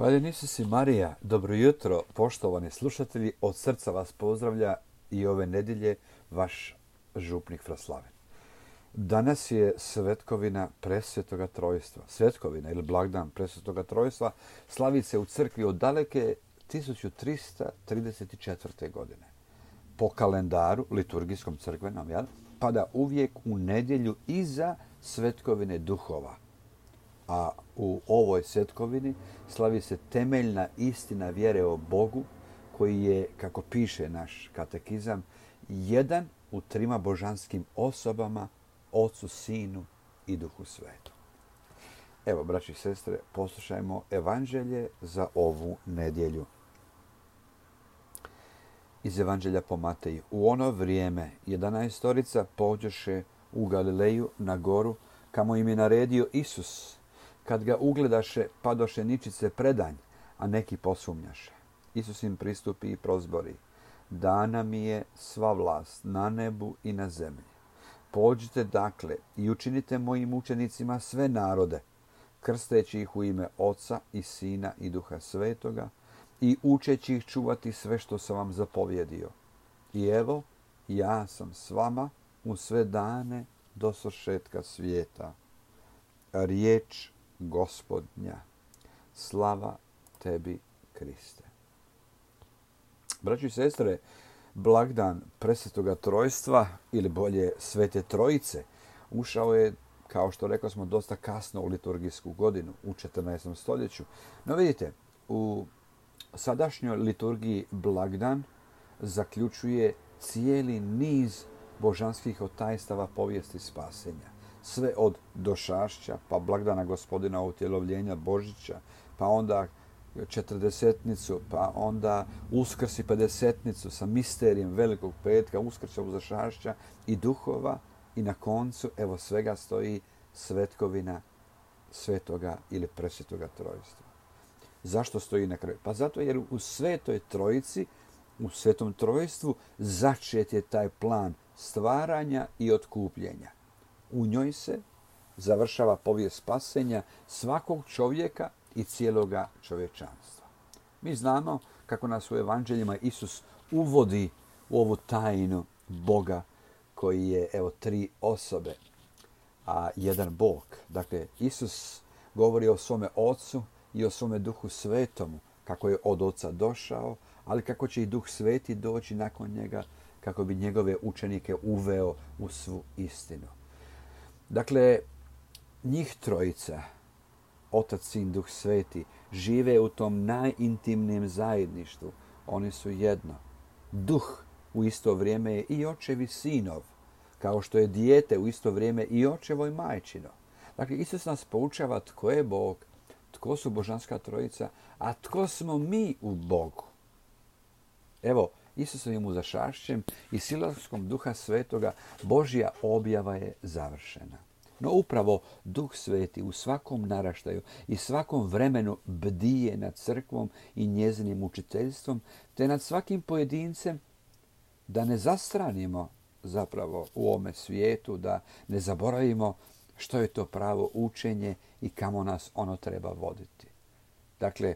Hvaljen Isus i Marija, dobro jutro, poštovani slušatelji, od srca vas pozdravlja i ove nedjelje vaš župnik Fraslaven. Danas je svetkovina Presvetoga Trojstva. Svetkovina ili blagdan Presvetoga Trojstva slavi se u crkvi od daleke 1334. godine. Po kalendaru, liturgijskom crkvenom, pada uvijek u nedjelju iza svetkovine duhova. A u ovoj svetkovini slavi se temeljna istina vjere o Bogu, koji je, kako piše naš katekizam, jedan u trima božanskim osobama, Ocu, Sinu i Duhu Svetom. Evo, braći i sestre, poslušajmo evanđelje za ovu nedjelju. Iz evanđelja po Mateju. U ono vrijeme 11 pođoše u Galileju na goru, kamo im je naredio Isus. Kad ga ugledaše, padoše ničice predanj, a neki posumnjaše. Isus im pristupi i prozbori: Dana mi je sva vlast na nebu i na zemlji. Pođite dakle i učinite mojim učenicima sve narode, krsteći ih u ime Oca i Sina i Duha Svetoga i učeći ih čuvati sve što sam vam zapovjedio. I evo, ja sam s vama u sve dane do svršetka svijeta. Riječ Gospodnja. Slava tebi, Kriste. Braći i sestre, blagdan Presvetoga Trojstva, ili bolje Svete Trojice, ušao je, kao što rekli smo, dosta kasno u liturgijsku godinu, u 14. stoljeću. No vidite, u sadašnjoj liturgiji blagdan zaključuje cijeli niz božanskih otajstava povijesti spasenja. Sve od došašća, pa blagdana Gospodina utjelovljenja Božića, pa onda četrdesetnicu, pa onda Uskrs i pedesetnicu sa misterijem Velikog petka, Uskrća, Uzašašća i duhova, i na koncu, evo, svega stoji svetkovina Svetoga ili Presvetoga Trojstva. Zašto stoji na kraju? Pa zato jer u Svetoj Trojici, u Svetom Trojstvu, začet je taj plan stvaranja i otkupljenja. U njoj se završava povijest spasenja svakog čovjeka i cijeloga čovječanstva. Mi znamo kako nas u evanđeljima Isus uvodi u ovu tajnu Boga koji je, evo, tri osobe, a jedan Bog. Dakle, Isus govori o svome Ocu i o svome Duhu Svetomu, kako je od Oca došao, ali kako će i Duh Sveti doći nakon njega, kako bi njegove učenike uveo u svu istinu. Dakle, njih trojica, Otac, Sin, Duh Sveti, žive u tom najintimnijem zajedništvu. Oni su jedno. Duh u isto vrijeme je i očev i sinov, kao što je dijete u isto vrijeme i očevo i majčino. Dakle, Isus nas poučava tko je Bog, tko su božanska trojica, a tko smo mi u Bogu. Evo, Isusovim uzašašćem i silaskom Duha Svetoga Božja objava je završena. No upravo Duh Sveti u svakom naraštaju i svakom vremenu bdije nad crkvom i njezinim učiteljstvom, te nad svakim pojedincem, da ne zastranimo zapravo u ovome svijetu, da ne zaboravimo što je to pravo učenje i kamo nas ono treba voditi. Dakle,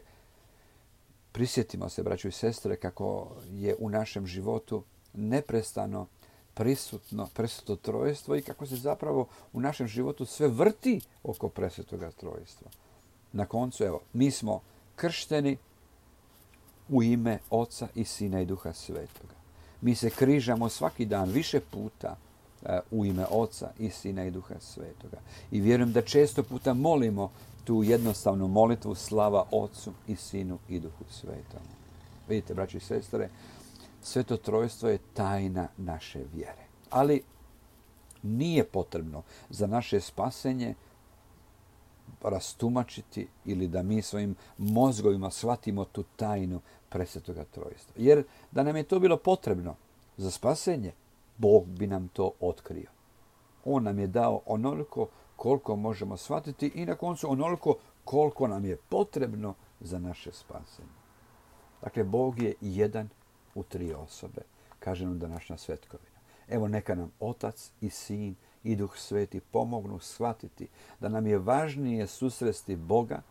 prisjetimo se, braćo i sestre, kako je u našem životu neprestano prisutno Presveto Trojstvo i kako se zapravo u našem životu sve vrti oko Presvetoga Trojstva. Na koncu, evo, mi smo kršteni u ime Oca i Sina i Duha Svetoga. Mi se križamo svaki dan više puta u ime Oca i Sina i Duha Svetoga. I vjerujem da često puta molimo tu jednostavnu molitvu: slava Ocu i Sinu i Duhu Svetomu. Vidite, braći i sestre, Sveto Trojstvo je tajna naše vjere. Ali nije potrebno za naše spasenje rastumačiti ili da mi svojim mozgovima shvatimo tu tajnu Presvetoga Trojstva. Jer da nam je to bilo potrebno za spasenje, Bog bi nam to otkrio. On nam je dao onoliko koliko možemo shvatiti i na koncu onoliko koliko nam je potrebno za naše spasenje. Dakle, Bog je jedan u tri osobe, kaže nam današnja svetkovina. Evo, neka nam Otac i Sin i Duh Sveti pomognu shvatiti da nam je važnije susresti Boga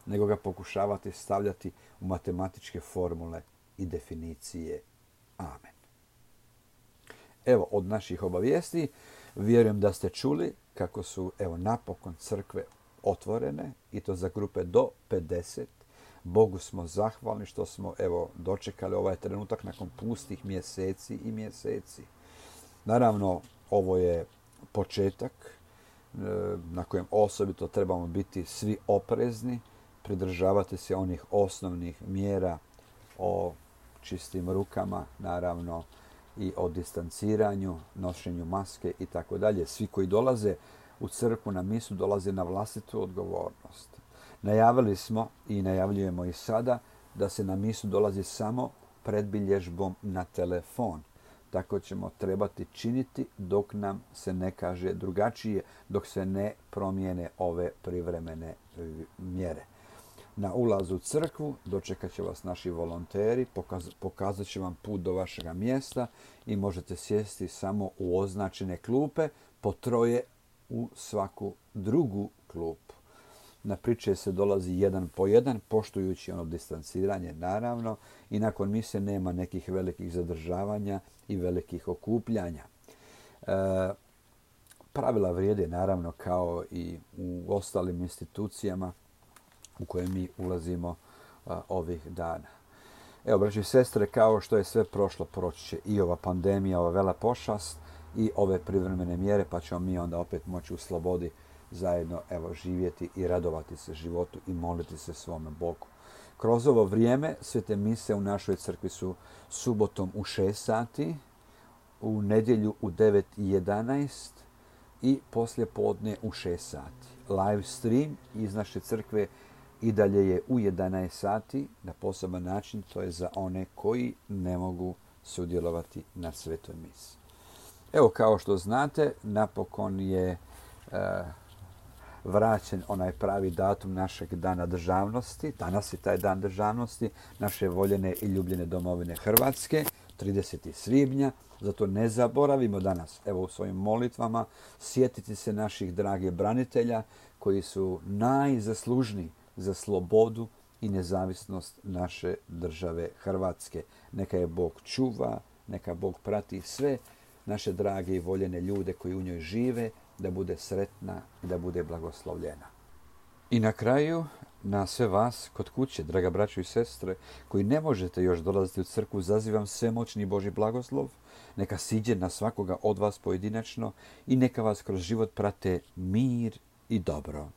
nego ga pokušavati stavljati u matematičke formule i definicije. Amen. Evo, od naših obavijesti, vjerujem da ste čuli kako su, napokon crkve otvorene i to za grupe do 50. Bogu smo zahvalni što smo, dočekali ovaj trenutak nakon pustih mjeseci i mjeseci. Naravno, ovo je početak na kojem osobito trebamo biti svi oprezni, pridržavati se onih osnovnih mjera o čistim rukama, naravno, i o distanciranju, nošenju maske i tako dalje. Svi koji dolaze u crkvu na misu dolaze na vlastitu odgovornost. Najavili smo i najavljujemo i sada da se na misu dolazi samo predbilježbom na telefon. Tako ćemo trebati činiti dok nam se ne kaže drugačije, dok se ne promijene ove privremene mjere. Na ulazu u crkvu dočekat će vas naši volonteri, pokazat će vam put do vašega mjesta i možete sjesti samo u označene klupe, po 3 u svaku drugu klupu. Na priče se dolazi 1 po 1, poštujući ono distanciranje, naravno, i nakon mise nema nekih velikih zadržavanja i velikih okupljanja. Pravila vrijede, naravno, kao i u ostalim institucijama u koje mi ulazimo ovih dana. Evo, braći i sestre, kao što je sve prošlo, proći će i ova pandemija, ova vela pošast i ove privremene mjere, pa ćemo mi onda opet moći u slobodi zajedno živjeti i radovati se životu i moliti se svome Bogu. Kroz ovo vrijeme svete mise u našoj crkvi su subotom u 6 sati, u nedjelju u 9:11 i poslije podne u 6 sati. Live stream iz naše crkve i dalje je u 11 sati na poseban način, to je za one koji ne mogu sudjelovati na svetoj misi. Evo, kao što znate, napokon je vraćen onaj pravi datum našeg dana državnosti. Danas je taj dan državnosti naše voljene i ljubljene domovine Hrvatske, 30. svibnja. Zato ne zaboravimo danas, u svojim molitvama, sjetiti se naših dragih branitelja koji su najzaslužniji za slobodu i nezavisnost naše države Hrvatske. Neka je Bog čuva, neka Bog prati sve naše drage i voljene ljude koji u njoj žive, da bude sretna i da bude blagoslovljena. I na kraju, na sve vas kod kuće, draga braćo i sestre, koji ne možete još dolaziti u crkvu, zazivam svemoćni Božji blagoslov, neka siđe na svakoga od vas pojedinačno i neka vas kroz život prate mir i dobro.